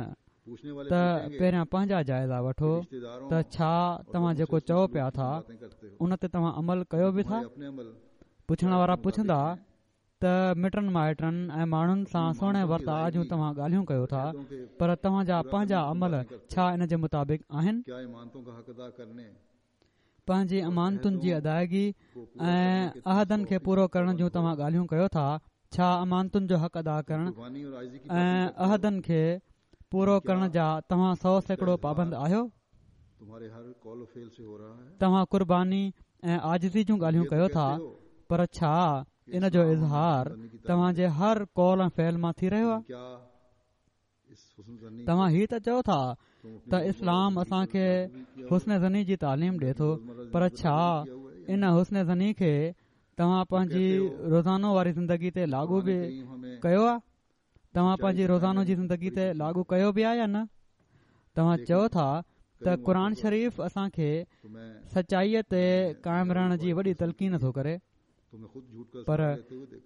ته پهريان پنهنجا جائزا وٺو ته ڇا توهان جيڪو چئو پيا ٿا ان تي توهان عمل ڪيو به ٿا؟ پڇڻ وارا پڇندا ته مٽن مائٽن ۽ ماڻهن سان سهڻي ورتاءُ جون توهان ڳالهيون ڪيو ٿا، پر توهان جا پنهنجا عمل ڇا ان جي مطابق آهن؟ پنهنجي امانتن جي ادائگي ۽ عهدن کي پورو ڪرڻ جون توهان ڳالهيون ڪيو ٿا، ڇا امانتن جو حق ادا ڪرڻ ۽ عهدن کي پورو ڪرڻ جا توهان سؤ سيڪڙو پابند آهيو؟ توهان قرباني ۽ عاجزي جون ڳالهيون ڪيو ٿا، پر ڇا ان جو اظهار توهان جي هر قول ۽ فعل مان ٿي رهيو آهي؟ توهان هي ته چئو ٿا ته اسلام اسان کي حسن ظني جي تعليم ڏئي ٿو، پر ڇا ان حسن ظني کي توهان پنهنجي روزانو واري زندگي تي لاڳو به ڪيو آهي؟ توهان پنهنجي روزانو جي زندگي تي لاڳو ڪيو به آهي يا نه؟ توهان چئو ٿا ته قرآن شريف اسان کي سچائيءَ تي قائم رهڻ جي وڏي تلقين ٿو ڪري، پر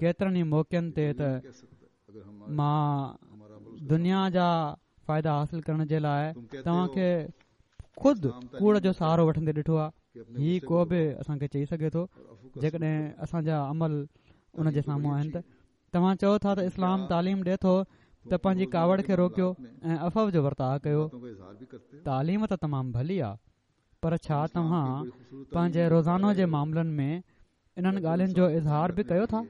ڪيترن ئي موقعن تي ته مان دنيا جا فائدا حاصل ڪرڻ جي لاءِ توهان کي خود ڪوڙ جو سهارو وٺندي ڏٺو آهي. هي ڪو به اسان کي چئي سگهي ٿو جيڪڏهن اسان جا عمل ان جي سامهون آهن. ته توهان چئو ٿا ته اسلام تعليم ڏئي ٿو ته پنهنجي ڪاوڙ کي روڪيو ۽ عفو جو ورتاءُ ڪيو. تعليم ته تمام ڀلي آهي، پر ڇا توهان پنهنجي روزانو جي معاملن ۾ انهن ڳالهين جو اظهار به ڪيو ٿا؟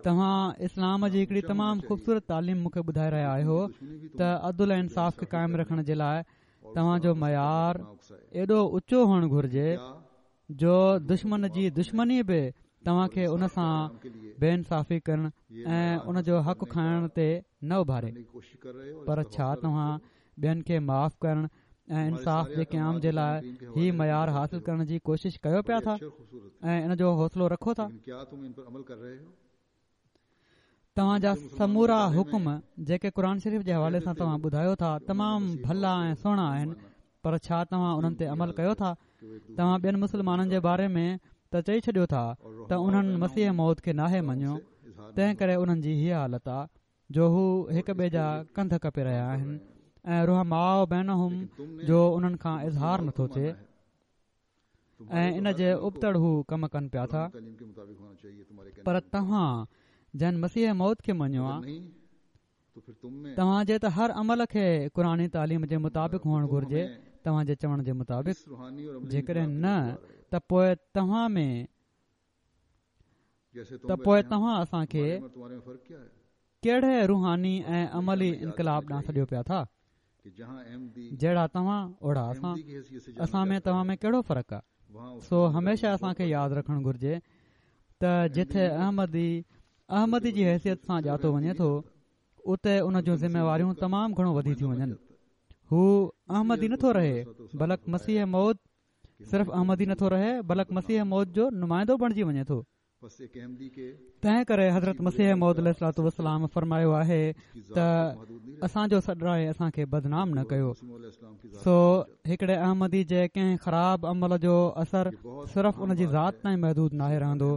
توهان اسلام جي هڪڙي تمام خوبصورت تعليم مون کي ٻڌائي رهيا آهيو ته عدل ۽ انصاف کي قائم رکڻ جي لاءِ توهان جو معيار ايڏو اوچو هئڻ گهرجي جو دشمن جي دشمني به توهان کي ان سان بي انصافي ڪرڻ ۽ ان جو حق کائڻ تي نه اڀاري. پر ڇا توهان ٻين کي معاف ڪرڻ ۽ انصاف جي قيام جي لاءِ هي معيار حاصل ڪرڻ جي ڪوشش ڪيو پيا ٿا ۽ ان جو حوصلو رکو ٿا؟ توهان جا سمورا حڪم جيڪي قرآن شريف جي حوالي سان توهان ٻڌايو ٿا تمام ڀلا ۽ سهڻا آهن، پر ڇا توهان انهن تي عمل ڪيو ٿا؟ توهان ٻين مسلمانن جي باري ۾ ته چئي ڇڏيو ٿا ته انهن مسيح موعود کي ناهي مڃيو، تنهن ڪري انهن جي هيءَ حالت آهي جو هو هڪ ٻئي جا ڪنڌ ڪپي رهيا آهن ۽ رحماء بينهم جو انهن کان اظهار نٿو ٿئي ۽ ان جي ابتڙ هو ڪم ڪن پيا ٿا. پر توهان جن مسيح موعود کي مڃيو آهي، توهان جي ته هر عمل کي قرآني تعليم جي مطابق هئڻ گهرجي، توهان جي چوڻ جي مطابق. جيڪڏهن نه ته پوءِ توهان ۾ ته پوءِ توهان اسان کي ڪهڙي روحاني ۽ عملي انقلاب ڏانهن سڏيو پيا ٿا؟ جهڙا توهان اوڙا اسان، اسان ۾ توهان ۾ ڪهڙو فرق آهي؟ سو هميشه اسان کي ياد رکڻ گهرجي ته جٿي احمدي احمدي جي حيثيت سان ڄاتو وڃي ٿو، اتي ان جون ذميواريون تمام گهڻو وڌي ٿيون وڃن. هو احمدي نٿو رهي بلڪ مسيح موعود صرف احمدي نٿو رهي بلڪ مسيح موعود جو نمائندو بڻجي وڃي ٿو. تنهن ڪري حضرت مسيح موعود عليه الصلوة والسلام فرمايو آهي ته اسان جو سڏرائي اسان کي بدنام نه ڪيو. سو هڪڙي احمدي جي ڪنهن خراب عمل جو اثر صرف ان جي ذات تائين محدود ناهي رهندو،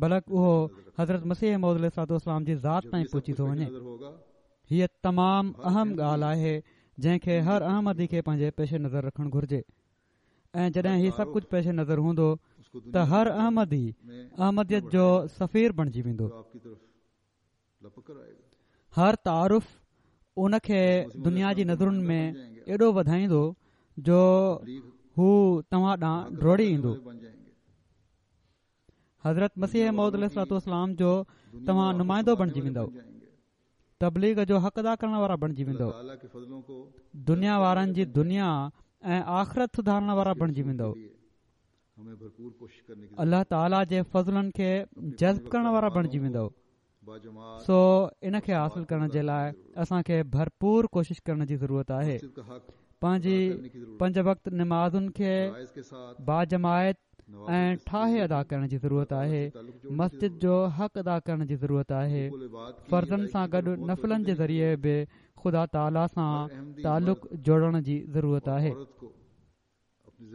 بلڪ اهو حضرت مسيح موعود عليه الصلوة والسلام جي ذات تائين پهچي ٿو وڃي. هيءَ تمام اهم ڳالهه آهي جنهن کي هر احمدي کي پنهنجي پيش نظر رکڻ گهرجي. ۽ جڏهن هي سڀ ڪجهه پيش نظر هوندو ته هر احمدي احمديت جو سفير بڻجي ويندو. هر تعارف ان کي دنيا جي نظرن ۾ ايڏو وڌائيندو جو هو توهان ڏانهن ڊوڙي ايندو. حضرت مسيح موعود عليه الصلوة والسلام جو توهان نمائندو بڻجي ويندؤ. تبليغ جو حق ادا ڪرڻ وارا بڻجي ويندؤ، دنيا وارن جي دنيا ۽ آخرت سڌارڻ وارا بڻجي ويندؤ، الله تعاليٰ جي فضلن کي جذب ڪرڻ وارا بڻجي ويندؤ. سو ان کي حاصل ڪرڻ جي لاءِ اسان کي ڀرپور ڪوشش ڪرڻ جي ضرورت آهي. پنهنجي پنج وقت نمازن کي باجماعت ۽ ٺاهي ادا ڪرڻ جي ضرورت آهي. مسجد جو حق ادا ڪرڻ جي ضرورت آهي. فرضن سان گڏ نفلن جي ذريعي به خدا تعاليٰ سان تعلق جوڙڻ جي ضرورت آهي.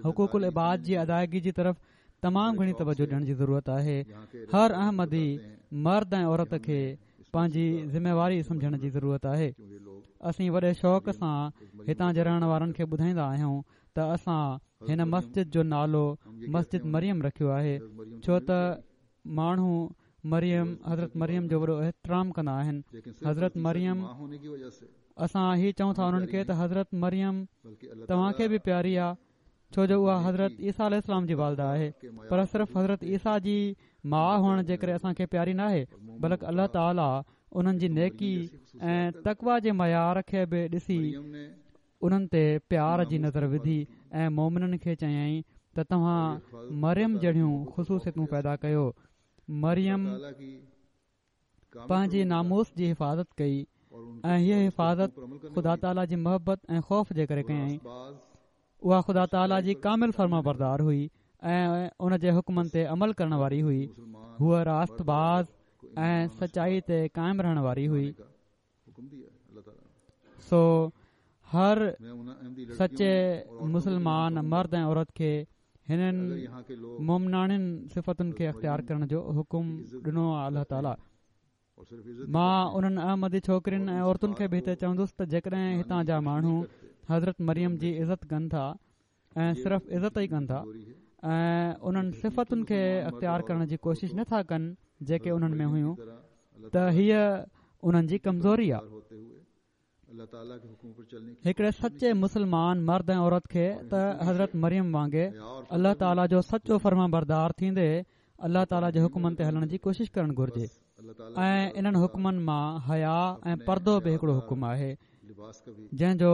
حقوق العباد جي ادائگي جي طرف تمام گهڻي توجه ڏيڻ جي ضرورت آهي. هر احمدي مرد ۽ عورت کي پنهنجي ذميواري سمجهڻ جي ضرورت آهي. اسين وڏي شوق سان هتان جي رهڻ وارن کي ٻڌائيندا آهيون ته اسان هن مسجد جو نالو مسجد مريم رکيو آهي، ڇو ته ماڻهو مريم حضرت مريم جو وڏو احترام ڪندا آهن. حضرت مريم اسان هي چئون ٿا انهن کي ته حضرت مريم توهان کي به پياري آهي، ڇو جو اها حضرت عيسيٰ عليه السلام جي والده آهي، پر صرف حضرت عيسيٰ جي ماءُ هئڻ جي ڪري اسان کي پياري ناهي، بلڪ الله تعاليٰ انهن جي نيڪي ۽ تقويٰ جي معيار کي به ڏسي انهن تي پيار جي نظر وڌي ۽ مومنن کي چيائين ته توهان مريم جهڙيون خصوصيتون پيدا ڪيو. مريم پنهنجي ناموس جي حفاظت ڪئي ۽ هيءَ حفاظت خدا تعاليٰ جي محبت ۽ خوف جي ڪري ڪيائين. اها خدا تعاليٰ جي ڪامل فرمانبردار هئي ۽ ان جي حڪمن تي عمل ڪرڻ واري هئي. هوءَ راست باز ۽ سچائي تي قائم رهڻ واري هئي. سو هر سچي مسلمان مرد ۽ عورت کي هنن مومناڻين صفتن کي اختيار ڪرڻ جو حڪم ڏنو آهي الله تعاليٰ. مان انهن احمدي ڇوڪرين ۽ عورتن کي به هتي چوندس ته جيڪڏهن هتان جا ماڻهو حضرت مريم جي عزت ڪن ٿا ۽ صرف عزت ئي ڪن ٿا ۽ انهن صفتن کي اختيار ڪرڻ جي ڪوشش نٿا ڪن جيڪي انهن ۾ هيون، ته هيءَ انهن جي ڪمزوري آهي. هڪڙي سچي مسلمان مرد ۽ عورت کي ته حضرت مريم وانگي الله تعاليٰ جو سچو فرمانبردار ٿيندي الله تعاليٰ جي حڪمن تي هلڻ جي ڪوشش ڪرڻ گهرجي ۽ انهن حڪمن مان حيا ۽ پردو به هڪڙو حڪم آهي جنهن جو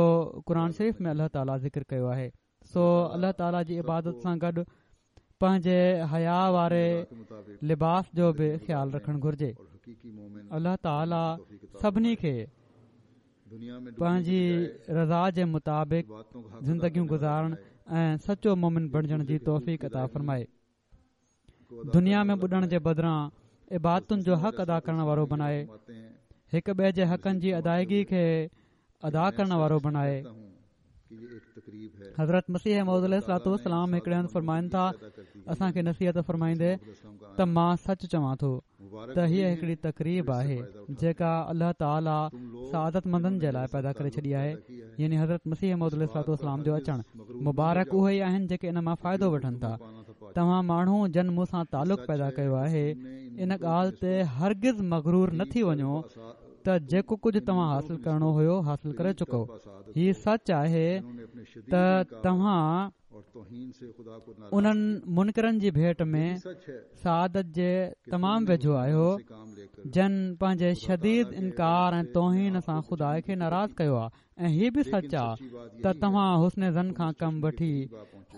قرآن شريف ۾ الله تعاليٰ ذڪر ڪيو آهي. سو الله تعاليٰ جي عبادت سان گڏ پنهنجي حيا واري لباس جو به خيال رکڻ گهرجي. الله تعاليٰ سڀني کي پنهنجي رضا جي مطابق زندگيون گذارڻ ۽ سچو مومن بڻجڻ جي توفيق عطا فرمائي. دنيا ۾ ٻڏڻ جي بدران عبادتن جو حق ادا ڪرڻ وارو بڻائي، هڪ ٻئي جي حقن جي ادائگي کي ادا ڪرڻ وارو بڻائي. حضرت مسيح موعود عليه الصلوة والسلام هڪڙي هنڌ فرمائن ٿا، اسان کي نصيحت فرمائيندي ته مان سچ چوان ٿو ته هيءَ هڪڙي تقريب آهي جيڪا الله تعاليٰ سعادت مندن جي لاءِ پيدا ڪري ڇڏي آهي، يعني حضرت مسيح موعود عليه الصلوة والسلام جو اچڻ. مبارڪ اهي ئي آهن جيڪي ان مان فائدو وٺن ٿا. توهان ماڻهو جن مون سان تعلق پيدا ڪيو آهي، ان ڳالهه تي هرگز مغرور نه ٿي وڃو ته جيڪو ڪجهه توهان حاصل ڪرڻو هيو حاصل ڪري چڪو. هي سچ آهي ته توهان انهن منڪرن جي ڀيٽ ۾ سعادت جي تمام ويجهو آهيو جن پنهنجي شديد انڪار ۽ توهين سان خدا کي ناراض ڪيو آهي. ۽ هي به سچ آهي ته توهان حسن ظن کان ڪم وٺي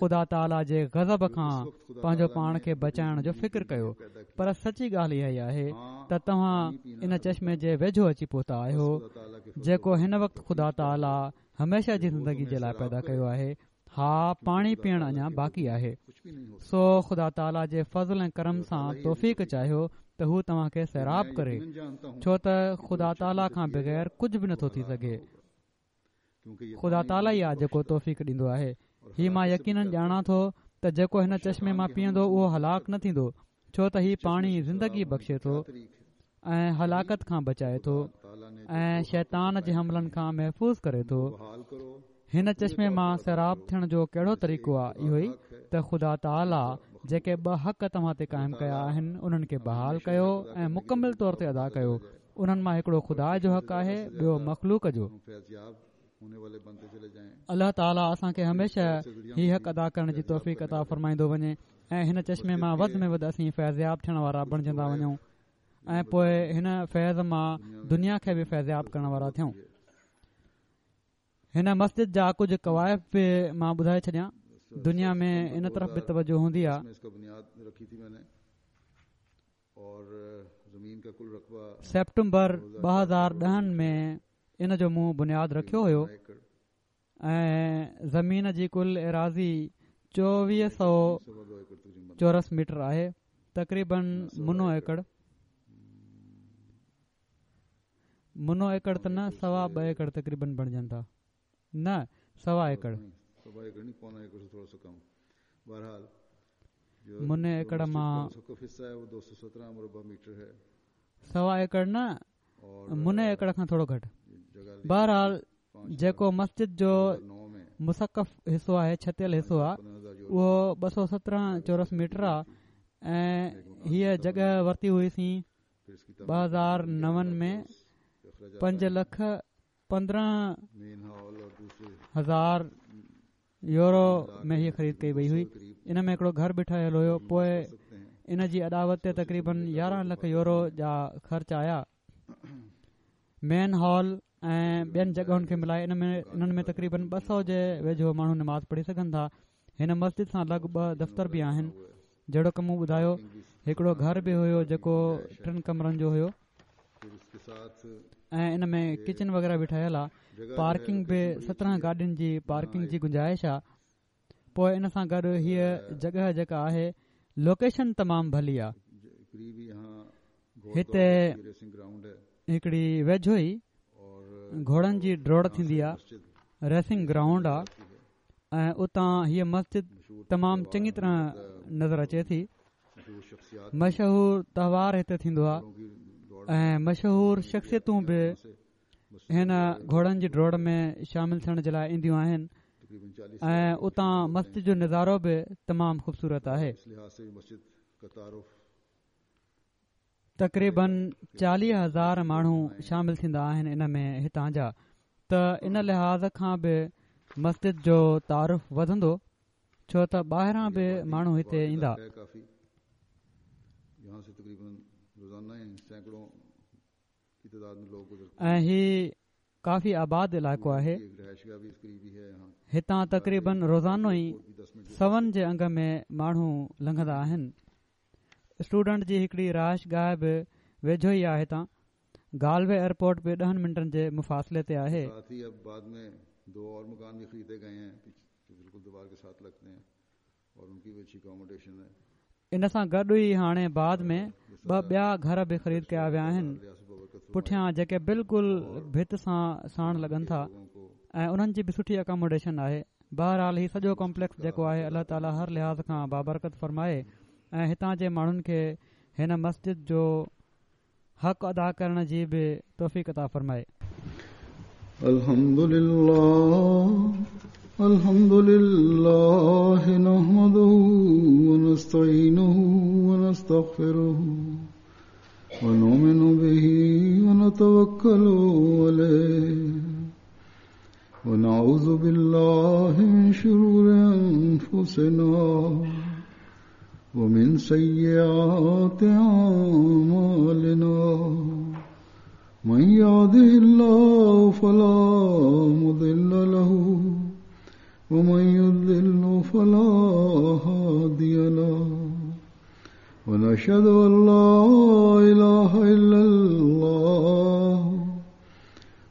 خدا تعاليٰ جي غضب کان پنهنجو پاڻ کي بچائڻ جو فڪر ڪيو، پر سچي ڳالهه اها ئي آهي ته توهان ان چشمي جي ويجهو اچي پهتا آهيو جيڪو هن وقت خدا تعاليٰ هميشه جي زندگي جي لاءِ پيدا ڪيو آهي. ها، پاڻي پيئڻ اڃا باقي آهي. سو خدا تعاليٰ جي فضل ۽ ڪرم سان توفيق چاهيو ته هو توهان کي سيراب ڪري، ڇو ته خدا تعاليٰ کان بغير ڪجهه به نٿو ٿي سگهي. خدا تعاليٰ ئي آهي جيڪو توفيق ڏيندو آهي. هي مان يقينن ڄاڻان ٿو ته جيڪو هن چشمي مان پيئندو اهو هلاڪ نه ٿيندو، ڇو ته هي پاڻي زندگي بخشي ٿو ۽ هلاڪت کان بچائي ٿو ۽ شيطان جي حملن کان محفوظ ڪري ٿو. هن چشمي مان سيراب ٿيڻ جو ڪهڙو طريقو آهي؟ اهو ئي ته خدا تعاليٰ جيڪي ٻه حق توهان تي قائم ڪيا آهن انهن کي بحال ڪيو ۽ مڪمل طور تي ادا ڪيو. انهن مان هڪڙو خدا جو حق آهي، ٻيو مخلوق جو. الله تعاليٰ اسان کي هميشه هي حق ادا ڪرڻ جي توفيق عطا فرمائيندو وڃي ۽ هن چشمي مان وڌ ۾ وڌ اسين فيضياب ٿيڻ وارا بڻجندا وڃون. ۽ پوء هن فيض مان دنيا کي به فيضياب ڪرڻ وارا ٿيون. هن مسجد جا ڪجهه ڪوائف به مان ٻڌائي ڇڏيان. دنيا ۾ ان طرف به توجه هوندي آهي. سيپٽمبر ٻه هزار ڏهن ۾ ان جو مون بنياد رکيو هيو ۽ زمين جي ڪل ايراضي چوويهه سؤ چورس ميٽر آهي، تقريبن منو ايڪڙ. منو ايڪڙ ته نه، سوا ٻه ايڪڙ تقريبن بڻجن ٿا، نه سوا ايڪڙ. مني ايڪڙ مان سوا ايڪڙ نه، مني ايڪڙ کان ٿورو گهٽ. بهرحال جيڪو مسجد جو مسقف حصو آهي، ڇتيل حصو آهي، اهو ٻه سؤ سترهن چورس ميٽر آهي ۽ هيءَ جڳهه ورتي هئيسين ٻه هزار نون ۾ پنج لک پندرهن هزار يورو ۾ هيءَ خريد ڪئي وئي هئي. ان ۾ هڪڙو گهر به ٺهيل هيو. پوءِ ان جي اڏاوت تي تقريبن يارهن لک يورو جا خرچ آيا. مين هال ۽ ٻين جڳهن کي ملائي ان ۾ انهن ۾ تقريبن ٻه سؤ جي ويجهو ماڻهو نماز پڙهي سگهن ٿا. هن مسجد سان لڳ ٻه دفتر به آهن. جهڙوڪ مون ٻڌايو، هڪڙو گهر به هيو جيڪو ٽن ڪمرن جو هيو ۽ ان ۾ ڪچن وغيره به ٺهيل آهي. پارڪنگ به سترهن گاڏين جي پارڪنگ جي گنجائش آهي. پوءِ ان سان گڏ هيءَ جڳهه جيڪا آهي، لوڪيشن تمام ڀلي آهي. هتي هڪڙي ويجهو ئي گهوڙن جي ڊوڙ ٿيندي آهي، ريسنگ گرائونڊ آهي ۽ اتان هيءَ مسجد تمام چڱي طرح نظر اچي ٿي. مشهور تهوار هتي ٿيندو آهي ۽ مشهور شخصيتون به هن گهوڙن جي ڊوڙ ۾ شامل ٿيڻ جي لاءِ اينديون آهن ۽ اتان مسجد جو نظارو به تمام خوبصورت آهي. تقريبن چاليهه هزار ماڻهو شامل ٿيندا آهن ان ۾ هتان جا، ته ان لحاظ کان به مسجد جو تعارف وڌندو، ڇو ته ٻاهران به ماڻهو هتي ايندا. ۽ هي ڪافي آباد علائقو آهي. هتان تقريبن روزانو ئي سون جي انگ ۾ ماڻهو لنگهندا آهن. اسٽوڊنٽ جي هڪڙي رهائش گاهه به ويجهو ئي آهي. هتان گالوي ايئرپورٽ به ڏهن منٽن جي مفاصلي تي آهي. ان سان گڏ ئي هاڻي بعد ۾ ٻه ٻيا گهر به خريد ڪيا ويا آهن پٺيان، جيڪي بلڪل ڀت سان ساڻ لڳن ٿا ۽ انهن جي به سٺي اڪاموڊيشن آهي. بهرحال هي سڄو ڪامپليڪس جيڪو آهي، الله تعاليٰ هر لحاظ کان بابرڪت فرمائي ۽ هتان جي ماڻهن کي هن مسجد جو حق ادا ڪرڻ جي به توفيق عطا فرمائي. الحمد لله الحمد لله نحمده ونستعينه ونستغفره ونؤمن به ونتوكل عليه ونعوذ بالله من شرور أنفسنا ومن سيئات أعمالنا من يهده الله فلا مضل له ومن يضلل فلا هادي له ونشهد أن لا إله إلا الله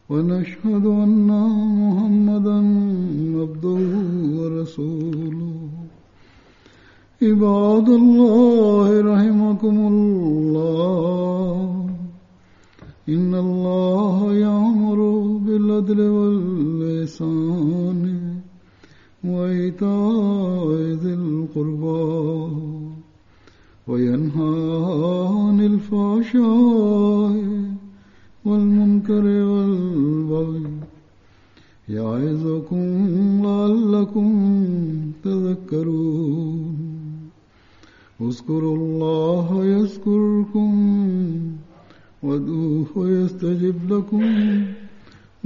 ونشهد أن محمدا عبده ورسوله. عباد الله رحمكم الله، إن الله يأمر بالعدل والإحسان وإيتاء ذي القربى وينهى عن الفحشاء والمنكر والبغي يعظكم لعلكم تذكرون. اذكروا الله يذكركم وادعوه يستجب لكم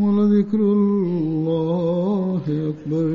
ولذكر الله أكبر.